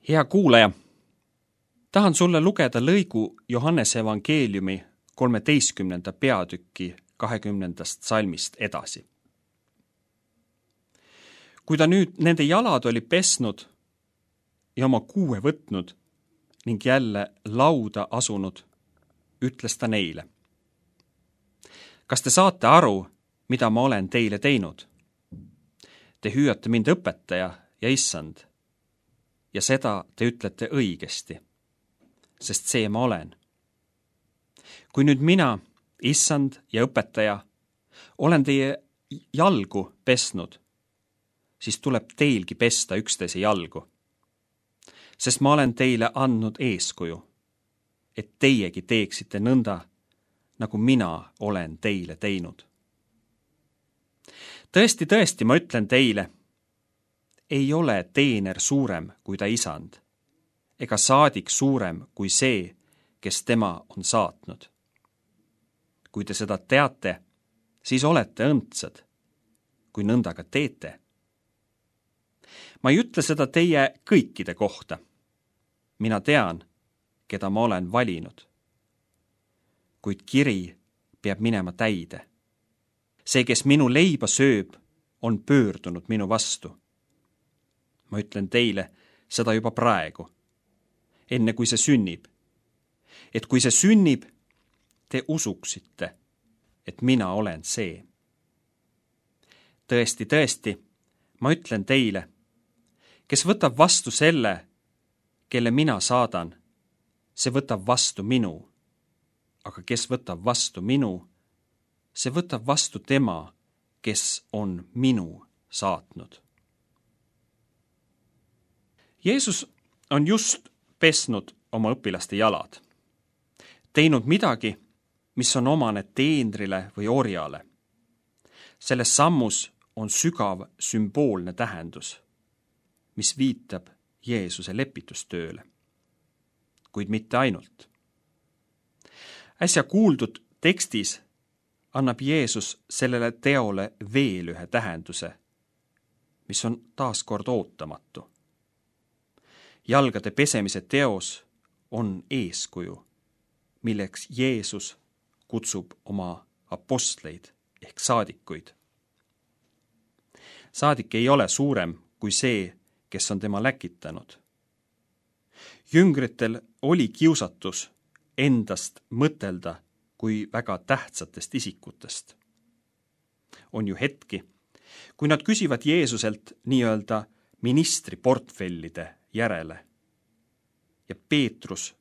Hea kuulaja, tahan sulle lugeda lõigu Johannese evangeeliumi 13. peatüki 20. salmist edasi. Kui ta nüüd nende jalad oli pesnud ja oma kuue võtnud ning jälle lauda asunud, ütles ta neile: Kas te saate aru, mida ma olen teile teinud? Te hüüate mind õpetaja ja issand, ja seda te ütlete õigesti, sest see ma olen. Kui nüüd mina, issand ja õpetaja, olen teie jalgu pesnud, siis tuleb teilgi pesta üksteise jalgu. Sest ma olen teile andnud eeskuju, et teiegi teeksite nõnda, nagu mina olen teile teinud. Tõesti, tõesti, ma ütlen teile, ei ole teener suurem kui ta isand, ega saadik suurem kui see, kes tema on saatnud. Kui te seda teate, siis olete õndsad, kui nõnda ka teete. Ma ei ütle seda teie kõikide kohta. Mina tean, keda ma olen valinud. Kuid kiri peab minema täide. See, kes minu leiba sööb, on pöördunud minu vastu. Ma ütlen teile seda juba praegu, enne kui see sünnib. Et kui see sünnib, te usuksite, et mina olen see. Tõesti, tõesti, ma ütlen teile, kes võtab vastu selle, kelle mina saadan, see võtab vastu minu. Aga kes võtab vastu minu, see võtab vastu tema, kes on minu saatnud. Jeesus on just pesnud oma õpilaste jalad, teinud midagi, mis on omane teenrile või orjale. Selles sammus on sügav sümboolne tähendus, mis viitab Jeesuse lepitustööle, kuid mitte ainult. Äsja kuuldud tekstis annab Jeesus sellele teole veel ühe tähenduse, mis on taaskord ootamatu. Jalgade pesemise teos on eeskuju, milleks Jeesus kutsub oma apostleid ehk saadikuid. Saadik ei ole suurem kui see, kes on tema läkitanud. Jüngritel oli kiusatus endast mõtelda kui väga tähtsatest isikutest. On ju hetki, kui nad küsivad Jeesuselt nii-öelda ministriportfellide järele. Ja Peetrus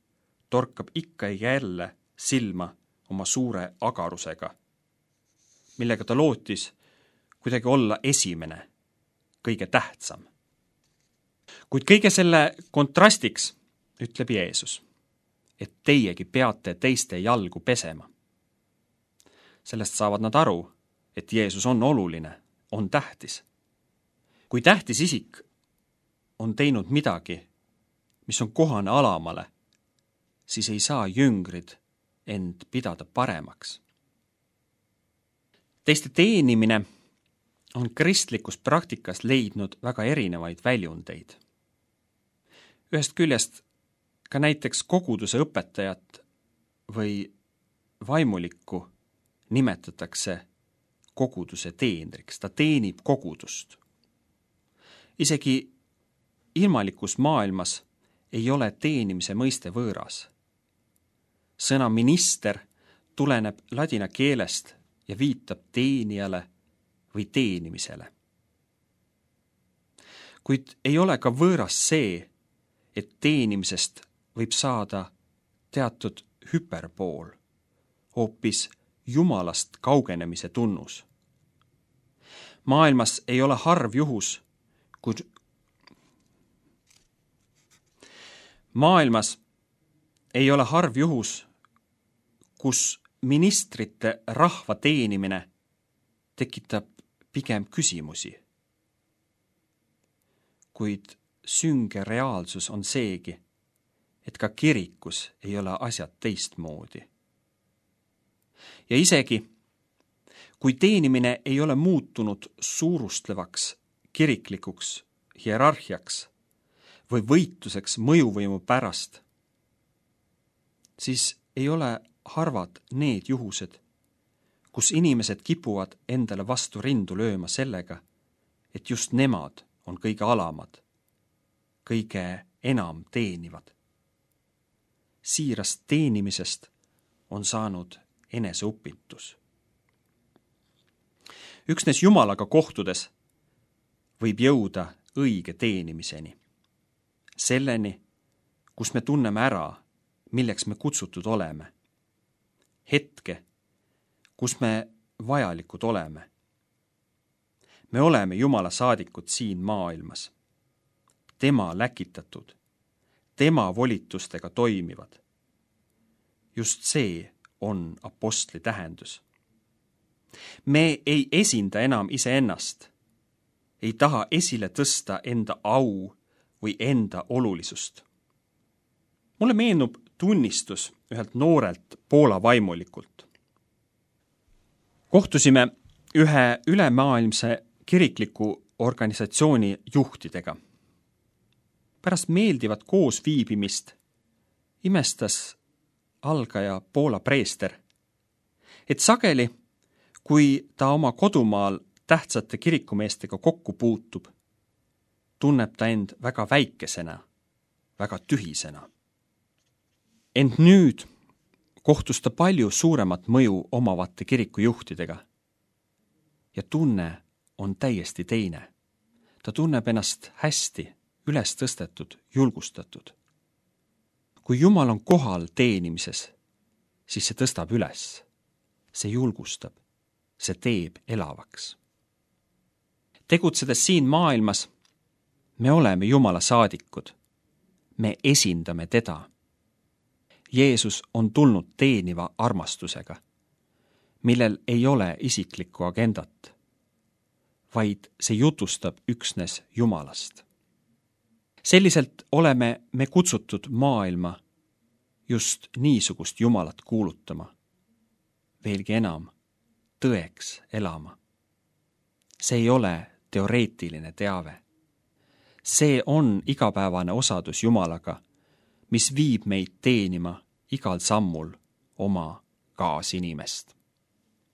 torkab ikka ja jälle silma oma suure agarusega, millega ta lootis kuidagi olla esimene, kõige tähtsam. Kuid kõige selle kontrastiks ütleb Jeesus, et teiegi peate teiste jalgu pesema. Sellest saavad nad aru, et Jeesus on oluline, on tähtis. Kui tähtis isik on teinud midagi, mis on kohane alamale, siis ei saa jüngrid end pidada paremaks. Teiste teenimine on kristlikus praktikas leidnud väga erinevaid väljundeid. Ühest küljest ka näiteks koguduse õpetajat või vaimulikku nimetatakse koguduse teenriks, ta teenib kogudust. Isegi ilmalikus maailmas ei ole teenimise mõiste võõras. Sõna minister tuleneb ladina keelest ja viitab teenijale või teenimisele. Kuid ei ole ka võõras see, et teenimisest võib saada teatud hüperpool, hoopis Jumalast kaugenemise tunnus. Maailmas ei ole harv juhus, kus ministrite rahva teenimine tekitab pigem küsimusi. Kuid sünge reaalsus on seegi, et ka kirikus ei ole asjad teistmoodi. Ja isegi, kui teenimine ei ole muutunud suurustlevaks kiriklikuks hierarhiaks, või võitluseks mõjuvõimu pärast, siis ei ole harvad need juhused, kus inimesed kipuvad endale vastu rindu lööma sellega, et just nemad on kõige alamad, kõige enam teenivad. Siirast teenimisest on saanud eneseupitus. Üksnes Jumalaga kohtudes võib jõuda õige teenimiseni. Selleni, kus me tunneme ära, milleks me kutsutud oleme. Hetke, kus me vajalikud oleme. Me oleme Jumala saadikud siin maailmas. Tema läkitatud, tema volitustega toimivad. Just see on apostli tähendus. Me ei esinda enam iseennast, ei taha esile tõsta enda au või enda olulisust. Mulle meenub tunnistus ühelt noorelt Poola vaimulikult. Kohtusime ühe ülemaailmse kirikliku organisatsiooni juhtidega. Pärast meeldivat koosviibimist imestas algaja Poola preester, et sageli, kui ta oma kodumaal tähtsate kirikumeestega kokku puutub, tunneb ta end väga väikesena, väga tühisena. Ent nüüd kohtus ta palju suuremat mõju omavate kirikujuhtidega. Ja tunne on täiesti teine. Ta tunneb ennast hästi, üles tõstetud, julgustatud. Kui Jumal on kohal teenimises, siis see tõstab üles, see julgustab, see teeb elavaks. Tegutsedes siin maailmas, me oleme Jumala saadikud. Me esindame teda. Jeesus on tulnud teeniva armastusega, millel ei ole isiklikku agendat, vaid see jutustab üksnes Jumalast. Selliselt oleme me kutsutud maailma just niisugust Jumalat kuulutama, veelgi enam, tõeks elama. See ei ole teoreetiline teave. See on igapäevane osadus Jumalaga, mis viib meid teenima igal sammul oma kaasinimest.